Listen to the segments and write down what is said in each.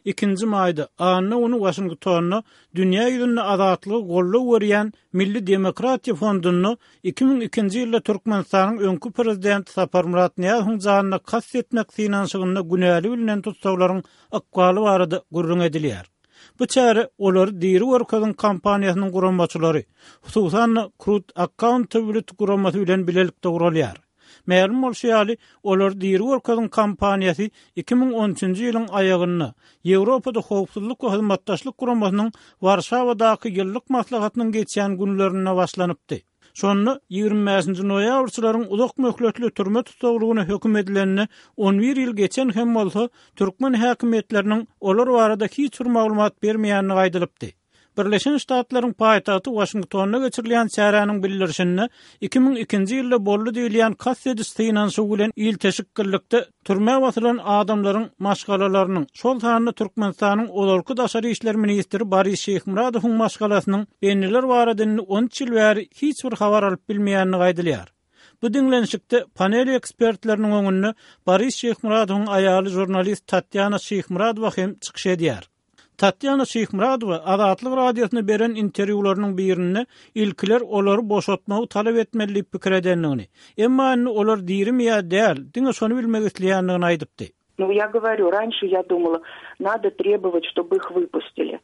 Ikinji maýda, anna güni Waşingtonda dünýä ýüzünde azatlyga goldaw berýän Milli demokratiýa fondunda 2002-nji ýylda Türkmenistanyň öňki prezidenti Saparmyrat Nyýazowyň janyna kast etmek synanyşygynda günäli bilnen tussaglaryň ykbaly barada gürrüň edilýär. Bu çäre Olary diri görkeziň kampaniýasynyň guramaçylary, hususan-da, Krut Accountability guramasy bilen bilelikde guralýar. Mälim bolşy ýaly, Olary diri görkeziň kampaniýasy 2013-nji ýylyň aýagynda, Ýewropada Howpsuzlyk we Hyzmatdaşlyk Guramasynyň Warşawadaky ýyllyk maslahatynyň geçýän günlerinde başlanypdy. Şonda ýigrimi bäşinji noýabrçylaryň uzak möhletli türme tussaglygyna höküm edilenine on bir ýyl geçen hem bolsa, türkmen häkimiýetleriniň olar barada hiç bir maglumat bermeýändigi aýdylypdy. Birleşen Ştatlaryň paýtagty Waşingtonda geçirilýän çäräniň bildirişinde, 2002-nji ýylda boldy diýilýän kast ediş synanyşygy bilen ilteşiklilikde türmä basylan adamlaryň maşgalalarynyň, şol sanda Türkmenistanyň ozalky daşary işler ministri Boris Şyhmyradowyň maşgalasynyň bendiler barada indi on üç ýyl bäri hiç bir habar alyp bilmeýändigi aýdylýar. Bu diňlenişikde panel ekspertleriniň öňünde Boris Şyhmyradowyň aýaly žurnalist Tatýana Şyhmyradowa hem çykyş edýär. Tatýana Şyhmyradowa Azatlyk Radiosyna beren interwýularynyň birinde ilkiler olary boşatmagy talap etmeli diýip pikir edendigini, emma indi olar dirimi ýa däl, diňe şony bilmek isleýändigini aýdypdy. Nu, ýa goworýu, ranşe ýa dumala, nado trebowat, ştoby ih wypustili.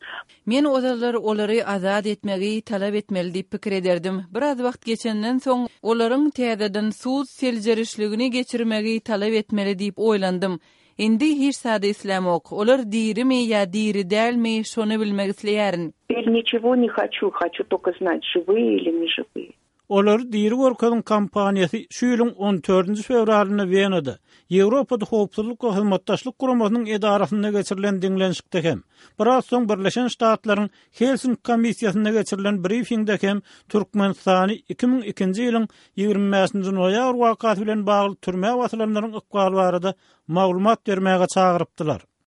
Men ozallar olary azat etmegi talap etmeli diýip pikir ederdim. Biraz wagt geçenden soň, olaryň täzeden sud seljerişligini geçirmegi talap etmeli diýip oýlandym. Indi hiç zady islämok. Olar dirimi ýa diri dälmi, şony bilmek isleýärin. Teper niçego ne haçu, haçu tolko znat, žiwyýe ili ne žiwyýe. Olary diri görkeziň kampaniýasy şu ýylyň on dördünji fewralynda Wenada, Ýewropada Howpsuzlyk we Hyzmatdaşlyk Guramasynyň edarasynda geçirilen diňlenişikde hem, biraz soň Birleşen Ştatlaryň Helsinki komissiýasynda geçirilen brifingde hem Türkmenistany 2002-nji ýylyň 25-nji noýabr wakasy bilen bagly türmä basylanlaryň ykbaly barada maglumat bermäge çagyrypdylar.